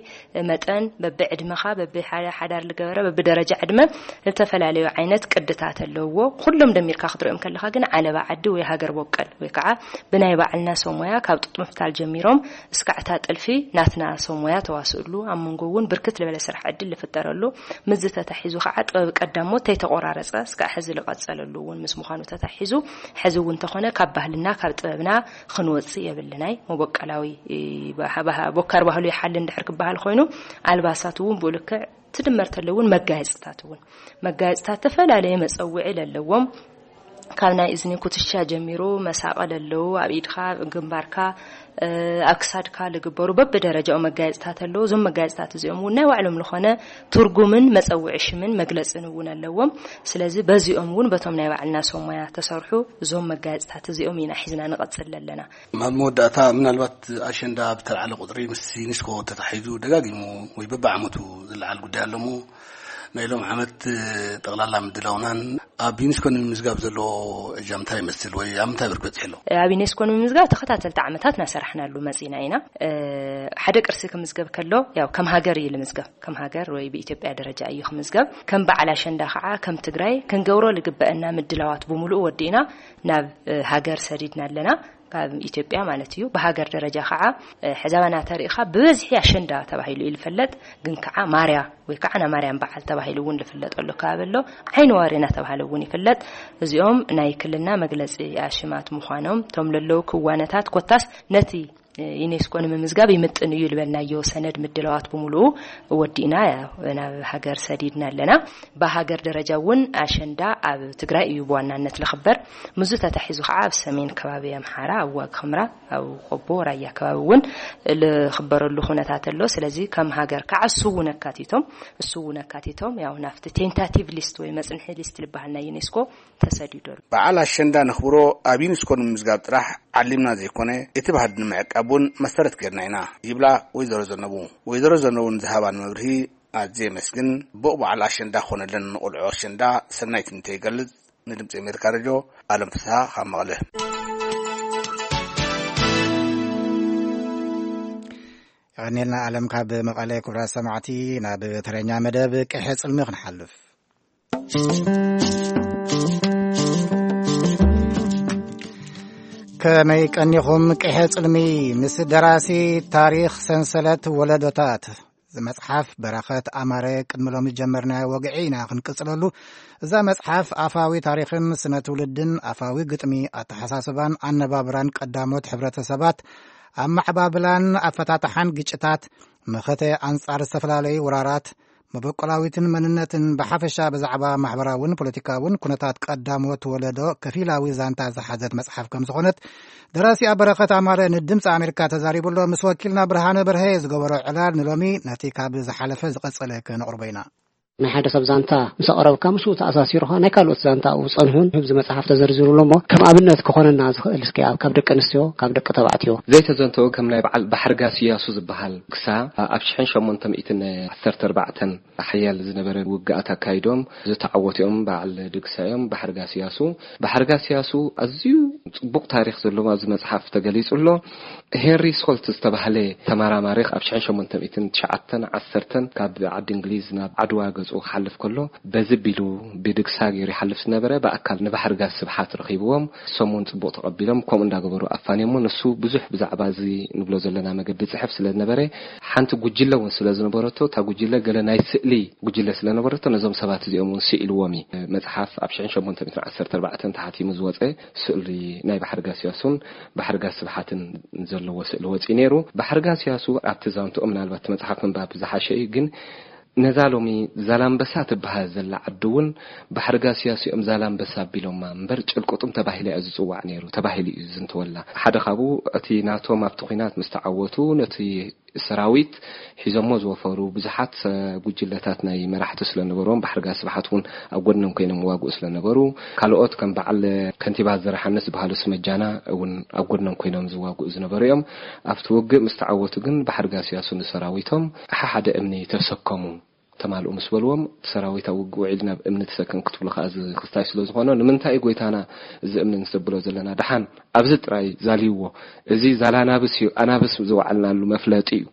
መጠን በብዕድመኻ በብሓዳር ዝገበረ በብደረጃ ዕድመ ዝተፈላለዩ ዓይነት ቅድታት ኣለውዎ። ኩሎም ደሚርካ ክትሪኦም ከለኻ ግን ዓለባ ዓዲ ወይ ሃገር በቀል ወይ ከዓ ብናይ ባዕልና ሰብ ሞያ ካብ ጡጥ ምፍታል ጀሚሮም እስካዕ እታ ጥልፊ ናትና ሰብ ሞያ ተዋስእሉ ኣብ መንጎ እውን ብርክት ዝበለ ስራሕ ዕድል ዝፍጠረሉ ምስዚ ተታሒዙ ከዓ ጥበብ ቀዳሞት ተይተቆራረፀ እስካዕ ሕዚ ዝቐፀለሉ እውን ምስ ምዃኑ ተታሒዙ ሕዚ እውን እንተኾነ ካብ ባህልና ካብ ጥበብና ክንወፅእ የብልናይ። መበቀላዊ፣ እ፣ ባህ-፣ ባህ-፣ ቦካር ባህሉ ይሓሊ እንድሕር ክበሃል ኮይኑ ኣልባሳት እውን ብኡ ልክዕ ትድመር ተሎ እውን መጋየፅታት እውን መጋየፅታት ተፈላለየ መፀውዒ ለለዎም ካብ ናይ እዝኒ ኩትሻ ጀሚሩ መሳቐል ኣለዉ፣ ኣብ ኢድካ፣ ግንባርካ፣ እ፣ ኣብ ክሳድካ ልግበሩ በብደረጃኡ መጋየፅታት ኣለዉ። እዞም መጋየፅታት እዚኦም እውን ናይ ባዕሎም ዝኾነ ትርጉምን መፀውዒ ሽምን መግለፅን እውን ኣለዎም። ስለዚ በዚኦም እውን በቶም ናይ ባዕልና ሰብ ሞያ ተሰርሑ እዞም መጋየፅታት እዚኦም ኢና ሒዝና ንቐፅል ኣለና። ኣብ መወዳእታ ምናልባት ኣሸንዳ ብተልዓለ ቁፅሪ ምስ ዩኒስኮ ተታሒዙ ደጋጊሙ ወይ በብዓመቱ ዝለዓል ጉዳይ ኣሎ እሞ ናይ ሎም ዓመት ጠቕላላ ምድላውናን ኣብ ዩኒስኮ ንምምዝጋብ ዘለዎ እጃምታ ይመስል ወይ ኣብ ምንታይ ብርክ በፂሑ ኣሎ? ኣብ ዩኔስኮ ንምምዝጋብ ተኸታተልቲ ዓመታት እናሰራሕናሉ መፂና ኢና። ሓደ ቅርሲ ክምዝገብ ከሎ ያው ከም ሃገር እዩ ልምዝገብ። ከም ሃገር ወይ ብኢትዮጵያ ደረጃ እዩ ክምዝገብ። ከም በዓል ኣሸንዳ ከዓ ከም ትግራይ ክንገብሮ ልግበአና ምድላዋት ብምሉኡ ወዲእና ናብ ሃገር ሰዲድና ኣለና። ካብ ኢትዮጵያ ማለት እዩ። ብሃገር ደረጃ ከዓ ሕዛባና ተሪእኻ ብበዝሒ ኣሸንዳ ተባሂሉ እዩ ዝፍለጥ። ግን ከዓ ማርያ ወይ ከዓ ናይ ማርያም በዓል ተባሂሉ እውን ዝፍለጠሉ ከባቢ ኣሎ። ዓይኒ ዋሪ እናተባሃለ እውን ይፍለጥ። እዚኦም ናይ ክልልና መግለፂ ኣሽማት ምዃኖም እቶም ለለዉ ክዋነታት ኮታስ ነቲ ዩኔስኮ ንምምዝጋብ ይምጥን እዩ ዝበልናዮ ሰነድ ምድላዋት ብምሉኡ ወዲእና ናብ ሃገር ሰዲድና ኣለና። ብሃገር ደረጃ እውን ኣሸንዳ ኣብ ትግራይ እዩ ብዋናነት ዝኽበር። ምስዚ ተታሒዙ ከዓ ኣብ ሰሜን ከባቢ ኣምሓራ ኣብ ዋግ ኽምራ ኣብ ቆቦ ራያ ከባቢ እውን ዝኽበረሉ ኩነታት ኣሎ። ስለዚ ከም ሃገር ከዓ እሱ እውን ኣካቲቶም እሱ እውን ኣካቲቶም ያው ናብቲ ቴንታቲቭ ሊስት ወይ መፅንሒ ሊስት ዝበሃል ናይ ዩኔስኮ ተሰዲዱ ኣሎ። በዓል ኣሸንዳ ነኽብሮ ኣብ ዩኒስኮ ንምምዝጋብ ጥራሕ ዓሊምና ዘይኮነ እቲ ባህሊ ንምዕቃብ እውን መሰረት ጌርና ኢና ይብላ ወይዘሮ ዘነቡ። ወይዘሮ ዘነቡ ንዝሃባን መብርሂ ኣዝየ የመስግን። ብኡ በዓል ኣሸንዳ ክኾነለን ንቆልዑ ኣሸንዳ ሰናይ ትምኒተይ ይገልጽ። ንድምፂ ኣሜሪካ ሬድዮ ኣለም ፍስሃ ካብ መቐለ። የቐኔልና ኣለም ካብ መቐለ። ክቡራት ሰማዕቲ ናብ ተረኛ መደብ ቅሐ ጽልሚ ክንሓልፍ። ከመይ ቀኒኹም ቅሐ ጽልሚ ምስ ደራሲ ታሪኽ ሰንሰለት ወለዶታት ዝመጽሓፍ በረኸት ኣማረ ቅድሚ ሎሚ ዝጀመርናዮ ወግዒ ኢና ክንቅጽለሉ። እዛ መጽሓፍ ኣፋዊ ታሪኽን ስነ ትውልድን ኣፋዊ ግጥሚ ኣተሓሳስባን ኣነባብራን ቀዳሞት ሕብረተሰባት ኣመዓባብላን ኣፈታትሓን ግጭታት መኸተ ኣንጻር ዝተፈላለዩ ወራራት መበቆላዊትን መንነትን ብሓፈሻ ብዛዕባ ማሕበራውን ፖለቲካውን ኩነታት ቀዳሞት ወለዶ ከፊላዊ ዛንታ ዝሓዘት መጽሓፍ ከም ዝኾነት ደራሲኣ በረኸት ኣማረ ንድምፂ ኣሜሪካ ተዛሪቡ ኣሎ። ምስ ወኪልና ብርሃነ በርሀ ዝገበሮ ዕላል ንሎሚ ነቲ ካብ ዝሓለፈ ዝቐጸለ ከነቕርቦ ኢና። ናይ ሓደ ሰብ ዛንታ ምስ ኣቕረብካ ምስኡ ተኣሳሲሩ ኸዓ ናይ ካልኦት ዛንታ ኣብኡ ዝጸንሑን ኣብዚ መጽሓፍ ተዘርዚሩ ኣሎ እሞ ከም ኣብነት ክኾነና ዝኽእል እስኪ ኣብ ካብ ደቂ ኣንስትዮ ካብ ደቂ ተባዕትዮ ዘይተዘንተወ ከም ናይ በዓል ባሕርጋስ እያሱ ዝበሃል ክሳ ኣብ ሽሕን ሸሞንተ ሚእትን ዓሰርተ ኣርባዕተን ሓያል ዝነበረ ውግኣት ኣካይዶም ዝተዓወቱ እዮም። በዓል ድግሳ እዮም። ባሕርጋስ እያሱ ባሕርጋስ እያሱ ኣዝዩ ጽቡቕ ታሪኽ ዘለዎ ኣብዚ መጽሓፍ ተገሊጹ ኣሎ። ሄንሪ ሶልት ዝተባህለ ተመራማሪ ኣብ ሽሕን ሸሞንተ ሚእትን ትሽዓተን ዓሰርተን ካብ ዓዲ እንግሊዝ ናብ ዓድዋ ገጹ ክሓልፍ ከሎ በዚ ቢሉ ብድግሳ ገይሩ ይሓልፍ ዝነበረ ብኣካል ንባሕርጋስ ስብሓት ረኺብዎም። እሶም እውን ጽቡቕ ተቐቢሎም ከምኡ እንዳገበሩ ኣፋንዮሞ። ንሱ ብዙሕ ብዛዕባ እዚ ንብሎ ዘለና መገዲ ጽሕፍ ስለ ዝነበረ ሓንቲ ጉጅለ እውን ስለ ዝነበረቶ እታ ጉጅለ ገለ ናይ ስእሊ ጉጅለ ስለ ነበረቶ ነዞም ሰባት እዚኦም እውን ስኢልዎም እዩ። መጽሓፍ ኣብ ሽሕን ሸሞንተ ሚእትን ዓሰርተ ኣርባዕተን ተሓቲሙ ዝወጸ ስእሊ ናይ ባሕርጋስ እያሱን ባሕርጋስ ስብሓትን ዘለዎ ስእሊ ወጺኡ ነይሩ። ባሕርጋስ እያሱ ኣብቲ ዛንትኦም ምናልባት እቲ መጽሓፍ ምንባብ ዝሓሸ እዩ፣ ግን ነዛ ሎሚ ዛላምበሳ ትበሃል ዘላ ዓዲ እውን ባሕርጋስ እያሱ እዮም ዛላምበሳ ኣቢሎማ እምበር ጭልቁጡም ተባሂላ እያ ዝጽዋዕ ነይሩ ተባሂሉ እዩ ዝዝንተወላ። ሓደ ካብኡ እቲ ናቶም ኣብቲ ኲናት ምስ ተዓወቱ ነቲ ሰራዊት ሒዞሞ ዝወፈሩ ብዙሓት ጉጅለታት ናይ መራሕቲ ስለ ነበርዎም ባሕርጋስ ስብሓት እውን ኣብ ጎድኖም ኮይኖም ይዋግኡ ስለ ነበሩ ካልኦት ከም በዓል ከንቲባ ዘርሓንስ ዝበሃሉ ስመጃና እውን ኣብ ጎድኖም ኮይኖም ዝዋግኡ ዝነበሩ እዮም። ኣብቲ ውግእ ምስ ተዓወቱ ግን ባሕርጋስ እያሱ ንሰራዊቶም ሓደ እምኒ ተሰከሙ ተማልኡ ምስ በልዎም እቲ ሰራዊት ኣብ ውግእ ውዒሉ ናብ እምኒ ተሰከም ክትብሉ ከዓ እዚ ክስታይ ስለ ዝኾኖ ንምንታይ እዩ ጎይታና እዚ እምኒ ንሰብሎ ዘለና ደሓን ኣብዚ ጥራይ ዛልይዎ እዚ ዛላናብስ እዩ ኣናብስ ዝወዓልናሉ መፍለጢ እዩ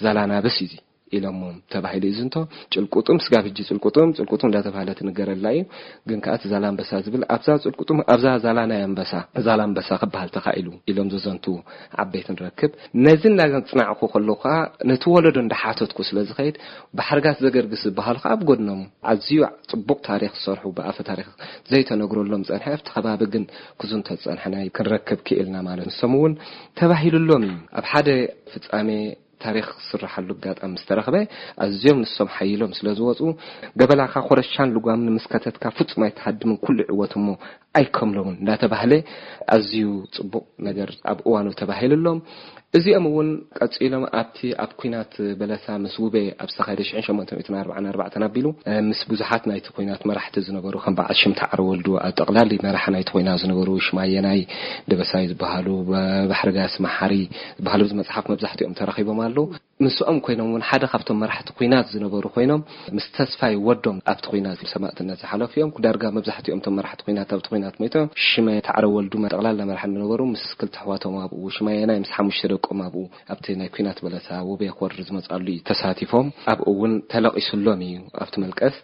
ዛላናብስ እዩ ኢሎሞም ተባሂሉ እዩ ዝንቶ። ጭልቁጡም ስጋብ ሕጂ ጭልቁጡም ጭልቁጡም እንዳተባህለ ትንገረላ እዩ። ግን ከዓ እቲ ዛላንበሳ ዝብል ኣብዛ ጭልቁጡም ኣብዛ ዛላ ናይ ኣንበሳ ዛላንበሳ ክበሃል ተኻኢሉ ኢሎም ዘዘንቱ ዓበይቲ ንረክብ። ነዚ እናፅናዕኩ ከለኩ ከዓ ነቲ ወለዶ እንዳሓተትኩ ስለ ዝኸይድ ባሕርጋስ ዘገርግስ ዝበሃሉ ከዓ ኣብ ጎድኖም ኣዝዩ ፅቡቕ ታሪክ ዝሰርሑ ብኣፈ ታሪክ ዘይተነግረሎም ፀንሐ ኣብቲ ከባቢ ግን ክዝንቶ ዝፀንሐ ናይ ክንረክብ ክኢልና ማለት ንሶም እውን ተባሂሉሎም እዩ ኣብ ሓደ ፍፃሜ ታሪክ ዝስረሓሉ ኣጋጣሚ ምስ ተረኽበ ኣዝዮም ንሶም ሓይሎም ስለ ዝወፁ ገበላካ ኮረሻን ልጓምን ምስ ከተትካ ፍፁም ኣይትሃድምን ኩሉ ይዕወት እሞ ኣይከምሎምን እንዳተባህለ ኣዝዩ ፅቡቕ ነገር ኣብ እዋኑ ተባሂሉሎም። እዚኦም እውን ቀፂሎም ኣብቲ ኣብ ኩናት በለሳ ምስ ውቤ ኣብ ዝተኻየደ ሽሕን ሸሞንተ ሚእትን ኣርባዓን ኣርባዕተን ኣቢሉ ምስ ብዙሓት ናይቲ ኩናት መራሕቲ ዝነበሩ ከም በዓል ሽምታ ዓረ ወልዱ ኣብ ጠቕላሊ መራሒ ናይቲ ኩናት ዝነበሩ ሽማየናይ ደበሳይ ዝበሃሉ ባሕርጋስ መሓሪ ዝበሃሉ ኣብዚ መፅሓፍ መብዛሕትኦም ተረኺቦም ኣለዉ። ምስኦም ኮይኖም እውን ሓደ ካብቶም መራሕቲ ኲናት ዝነበሩ ኮይኖም፣ ምስ ተስፋይ ወዶም ኣብቲ ኲናት ሰማእትነት ዝሓለፉ እዮም። ዳርጋ መብዛሕትኦም እቶም መራሕቲ ኲናት ኣብቲ ኲናት ሞይቶም። ሽመ ታዕረ ወልዱ ጠቕላላ መራሒ ዝነበሩ ምስ ክልተ ኣሕዋቶም ኣብኡ፣ ሽማየናይ ምስ ሓሙሽተ ደቆም ኣብኡ ኣብቲ ናይ ኲናት በለሳ ውቤ ክወርድ ዝመጻሉ እዩ ተሳቲፎም። ኣብኡ እውን ተለቒስሎም እዩ ኣብቲ መልቀስ።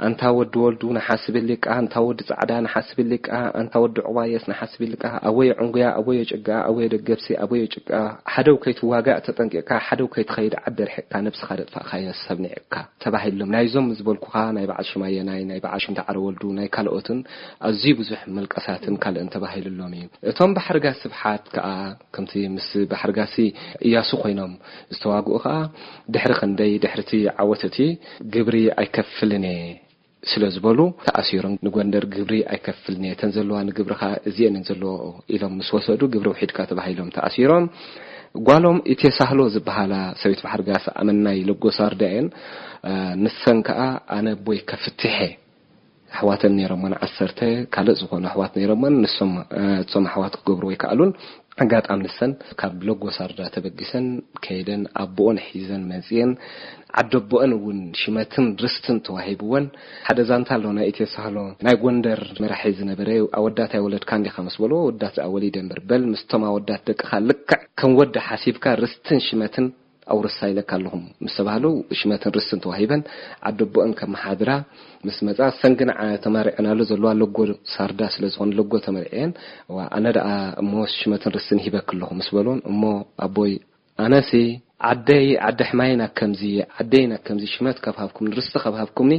ኣንታ ወዲ ወልዱ ንሓስብ ሊቃ፣ ኣንታ ወዲ ጻዕዳ ንሓስብ ሊቃ፣ ኣንታ ወዲ ዑባየስ ንሓስብ ሊቃ፣ ኣወየ ዕንጉያ፣ ኣወየ ጭጋ፣ ኣወየ ደገብሲ፣ ኣወየ ጭቃ፣ ሓደው ከይትዋጋእ ተጠንቂቕካ፣ ሓደው ከይትኸይድ ዓዲ ርሒቕካ፣ ነብስኻ ደጥፋእካዮ ሰብ ንዒቕካ ተባሂሎም። ናይዞም ዝበልኩኻ ናይ በዓል ሽማየናይ፣ ናይ በዓል ሽምታ ዓረ ወልዱ፣ ናይ ካልኦትን ኣዝዩ ብዙሕ መልቀሳትን ካልእን ተባሂሉሎም እዩ። እቶም ባሕርጋ ስብሓት ከኣ ከምቲ ምስ ባሕርጋሲ እያሱ ኮይኖም ዝተዋግኡ ከኣ ድሕሪ ክንደይ ድሕርቲ ዓወት እቲ ግብሪ ኣይከፍልን እየ ስለ ዝበሉ ተኣሲሮም፣ ንጎንደር ግብሪ ኣይከፍልን እየ፣ እተን ዘለዋ ንግብሪ ከኣ እዚኤን እየን ዘለዎ ኢሎም ምስ ወሰዱ ግብሪ ውሒድካ ተባሂሎም ተኣሲሮም። ጓሎም ኢቴሳህሎ ዝበሃላ ሰበይቲ ባሕርጋስ ኣመናይ ለጎሳርዳ እየን። ንሰን ከኣ ኣነ ኣቦይ ከፍትሐ ኣሕዋተን ነይሮመን ዓሰርተ ካልእ ዝኾኑ ኣሕዋት ነይሮመን። ንሶም እቶም ኣሕዋት ክገብሩ ኣይከኣሉን። ኣጋጣሚ ንሰን ካብ ለጎሳርዳ ተበጊሰን ከይደን ኣቦኦን ሒዘን መጽየን፣ ዓደቦኦን እውን ሽመትን ርስትን ተዋሂብወን። ሓደ ዛንታ ኣሎ ናይ ኢትዮ ሳህሎ፣ ናይ ጎንደር መራሒ ዝነበረ፣ ኣወዳት ኣይወለድካን ዲኻ ምስ በልዎ፣ ኣወዳት ዝኣ ወሊደ እምበር፣ በል ምስቶም ኣወዳት ደቅኻ ልክዕ ከም ወዲ ሓሲብካ ርስትን ሽመትን ኣውርሳ ኢለካ ኣለኹም ምስ ተባህሉ፣ ሽመትን ርስትን ተዋሂበን ዓደቦኦን ከመሓድራ ምስ መጻ፣ ሰን ግን ዓ-፣ ተመሪዐናሉ ዘለዋ ለጎ ሳርዳ ስለ ዝኾነ ለጎ ተመሪዐን። ዋ፣ ኣነ ደኣ እሞ ሽመትን ርስትን ሂበክ ኣለኹ ምስ በሉን፣ እሞ ኣቦይ ኣነሲ ዓደይ ዓዲ ሕማይ ናብ ከምዚ፣ ዓደይ ናብ ከምዚ ሽመት ካብ ሃብኩምኒ፣ ርስቲ ካብ ሃብኩምኒ፣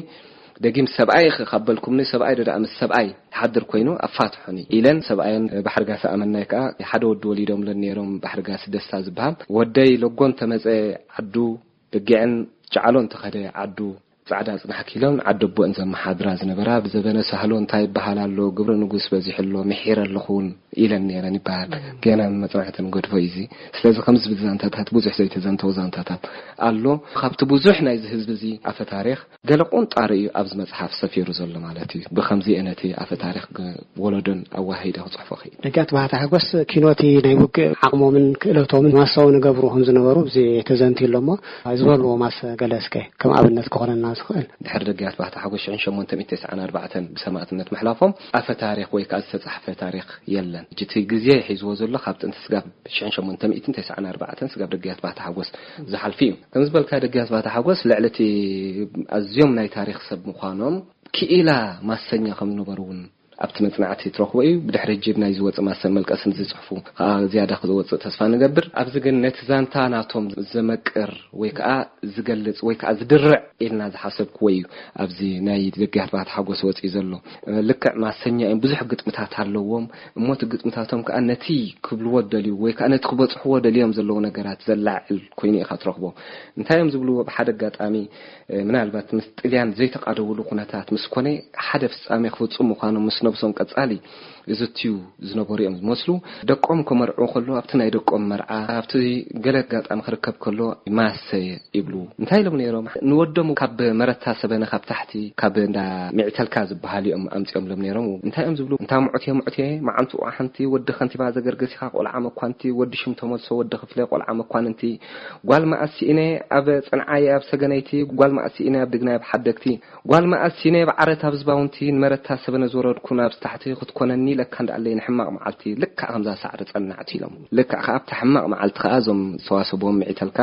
ደጊም ሰብኣይ ኸ ካብ በልኩምኒ፣ ሰብኣይ ዶ ደኣ ምስ ሰብኣይ ይሓድር ኮይኑ ኣፋትሑኒ ኢለን ሰብኣየን ባሕርጋሲ ኣመናይ ከኣ ሓደ ወዲ ወሊዶምለን ነይሮም፣ ባሕርጋሲ ደስታ ዝበሃል። ወደይ ለጎን ተመጸ ዓዱ፣ በጊዕን ጨዓሎን ተኸደ ዓዱ፣ ጻዕዳ ጽናሕኪ ኢሎም ዓደቦእን ዘመሓድራ ዝነበራ፣ ብዘበነ ሳህሎ እንታይ ይበሃል ኣሎ፣ ግብሪ ንጉስ በዚሑ ኣሎ፣ ምሒረ ኣለኹ እውን ኢለን ነይረን ይበሃል። ገና መጽናዕቲ ንገድፎ እዩ እዚ። ስለዚ ከምዚ ዝብል ዛንታታት፣ ብዙሕ ዘይተዘንተው ዛንታታት ኣሎ። ካብቲ ብዙሕ ናይዚ ህዝቢ እዚ ኣፈ ታሪኽ ገለ ቁንጣሪ እዩ ኣብዚ መጽሓፍ ሰፊሩ ዘሎ ማለት እዩ። ብኸምዚ እየ ነቲ ኣፈ ታሪኽ ግ-፣ ወለዶን ኣዋሂደ ክጽሕፎ ክእል። ደጋት ባህታ ሓጎስ ኪኖቲ ናይ ውግእ ዓቕሞምን ክእለቶምን ማሳዊ ንገብሩ ከም ዝነበሩ እዚ ተዘንትዩ ኣሎ እሞ ዝበልዎ ማስ ገለ እስከ ከም ኣብነት ክኾነና ዝኽእል። ድሕሪ ደጋት ባህታ ሓጎስ ሽሕን ሸሞንተ ሚእትን ተስዓን ኣርባዕተን ብሰማእትነት ምሕላፎም ኣፈ ታሪኽ ወይ ከኣ ዝተጻሕፈ ታሪኽ የለን። እቲ ግዜ ሒዝዎ ዘሎ ካብ ጥንቲ ስጋብ ሽሕን ሸሞንተ ሚእትን ተስዓን ኣርባዕተን ስጋብ ደጋት ባህታ ሓጎስ ዝሓልፍ እዩ። ከም ዝበልካ ደጋት ባህታ ሓጎስ ልዕሊ እቲ ኣዝዮም ናይ ታሪኽ ሰብ ምዃኖም ክኢላ ማሰኛ ከም ዝነበሩ እውን ኣብቲ መጽናዕቲ ትረኽቦ እዩ። ብድሕሪ ጅብ ናይ ዝወጽእ ማሰን መልቀስን ዝጽሕፉ ከኣ ዝያዳ ክወጽእ ተስፋ ንገብር። ኣብዚ ግን ነቲ ዛንታ ናቶም ዘመቅር ወይ ከኣ ዝገልጽ ወይ ከኣ ዝድርዕ ኢልና ዝሓሰብክዎ እዩ ኣብዚ ናይ ደጋት ባህታ ሓጎስ ወጽዩ ዘሎ። ልክዕ ማሰኛ እዮም፣ ብዙሕ ግጥምታት ኣለዎም። እሞ እቲ ግጥምታቶም ከኣ ነቲ ክብልዎ ደልዩ ወይ ከኣ ነቲ ክበጽሕዎ ደልዮም ዘለዉ ነገራት ዘላዕል ኮይኑ ኢኻ ትረኽቦ። እንታይ እዮም ዝብልዎ? ብሓደ ኣጋጣሚ፣ እ፣ ምናልባት ምስ ጥልያን ዘይተቃደውሉ ኩነታት ምስ ኮነ፣ ሓደ ፍጻሜ ክፍጽሙ ምዃኖም ምስ ነብሶም ቀጻሊ ዝዝትዩ ዝነበሩ እዮም ዝመስሉ። ደቆም ከመርዕዉ ከሎ፣ ኣብቲ ናይ ደቆም መርዓ፣ ኣብቲ ገለ ኣጋጣሚ ክርከብ ከሎ፣ ማሰ ይብሉ። እንታይ ኢሎም ነይሮም? ንወዶም ካብ መረታ ሰበነ ካብ ታሕቲ፣ ካብ እንዳ ሚዕተልካ ዝበሃል እዮም ኣምጺኦምሎም ነይሮም። እንታይ እዮም ዝብሉ? እንታ ሙዕቴ ሙዕቴ፣ መዓንትኡ ሓንቲ፣ ወዲ ከንቲባ ዘገርገሲኻ ቆልዓ መኳንቲ፣ ወዲ ሽም ተመልሶ፣ ወዲ ክፍለ ቆልዓ መኳንንቲ፣ ጓል መኣስ ስኢነ ኣብ ጽንዓየ ኣብ ሰገነይቲ፣ ጓል መኣስ ስኢነ ኣብ ድግናይ ኣብ ሓደግቲ፣ ጓል መኣስ ስኢነ ኣብ ዓረት ኣብ ዝባውንቲ፣ ንመረታ ሰበነ ዝወረድኩ ናብዚ ታሕቲ ክትኮነኒ ለካ እንዳኣለይ ንሕማቕ መዓልቲ፣ ልክዕ ከምዛ ሳዕሪ ጸናዕቲ ኢሎም። ልክዕ ከኣ ኣብታ ሕማቕ መዓልቲ ከኣ እዞም ዝተዋሰብዎም ምዒተልካ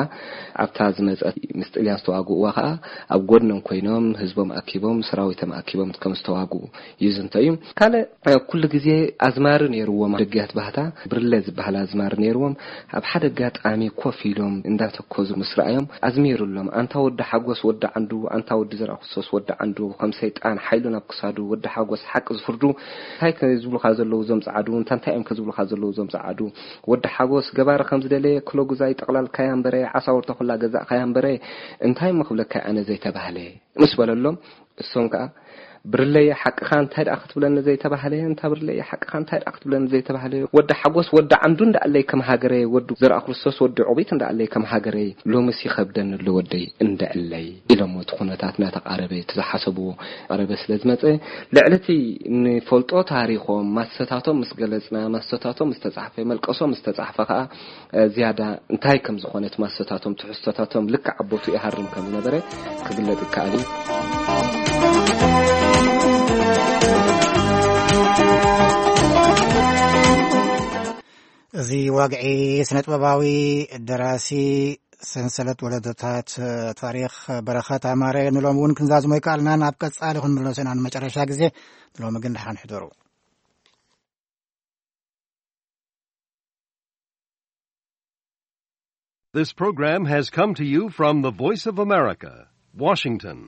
ኣብታ ዝመጸት ምስ ጥልያን ዝተዋግእዋ ከኣ ኣብ ጎድኖም ኮይኖም ህዝቦም ኣኪቦም ሰራዊቶም ኣኪቦም ከም ዝተዋግኡ ይዝንቶ እዩ። ካልእ፣ እ፣ ኩሉ ግዜ ኣዝማሪ ነይርዎም ደገያት ባህታ፣ ብርለ ዝበሃል ኣዝማሪ ነይርዎም። ኣብ ሓደ ኣጋጣሚ ኮፍ ኢሎም እንዳተኮዙ ምስ ረኣዮም ኣዝሚሩሎም፣ ኣንታ ወዲ ሓጎስ ወዲ ዓንዱ፣ ኣንታ ወዲ ዘርኣክርስቶስ ወዲ ዓንዱ፣ ከም ሰይጣን ሓይሉ ናብ ክሳዱ፣ ወዲ ሓጎስ ሓቂ ዝፍርዱ፣ እንታይ ከ ዝብሉኻ ዘለዉ እዞም ጸዓዱ፣ እንታ እንታይ እዮም ከ ዝብሉኻ ዘለዉ እዞም ጸዓዱ፣ ወዲ ሓጎስ ገባሪ ከም ዝደለየ ክሎ ጉዛይ ጠቕላልካያ እምበረ፣ ዓሳውርታ ኩላ ገዛእካያ እምበረ፣ እንታይ እሞ ክብለካ ኣነ ዘይተባህለ። ምስ በለሎም፣ እሶም ከኣ፣ ብርለየ ሓቅኻ እንታይ ደኣ ክትብለኒ ዘይተባህለ፣ እንታ ብርለየ ሓቅኻ እንታይ ደኣ ክትብለኒ ዘይተባህለ፣ ወዲ ሓጎስ ወዲ ዓንዱ እንዳኣለይ ከም ሃገረይ፣ ወዲ ዘርኣ ክርስቶስ ወዲ ዑቢት እንዳኣለይ ከም ሃገረይ፣ ሎምስ ይኸብደኒ ኣሎ ወደይ እንደዕለይ ኢሎሞ። እቲ ኩነታት እናተቓረበ፣ እቲ ዝሓሰብዎ ቀረበ ስለ ዝመጸ፣ ልዕሊ እቲ ንፈልጦ ታሪኾም፣ ማሰታቶም ምስ ገለጽና፣ ማሰታቶም ምስ ተጻሕፈ፣ መልቀሶም ምስ ተጻሕፈ ከኣ፣ እ፣ ዝያዳ እንታይ ከም ዝኾነ እቲ ማሰታቶም፣ ትሕዝቶታቶም ልክዕ ኣቦቱ ይሃርም ከም ዝነበረ ክግለጽ ይከኣል እዩ። እዚ ዋግዒ ስነ ጥበባዊ ደራሲ ሰንሰለት ወለዶታት ታሪኽ በረኸት ኣማረ ንሎም እውን ክንዛዝሞ ይከኣልና። ናብ ቀጻሊ ክንምለሶ ኢና ንመጨረሻ ግዜ። ንሎሚ ግን ደሓን ሕደሩ። This program has come to you from the Voice of America, Washington.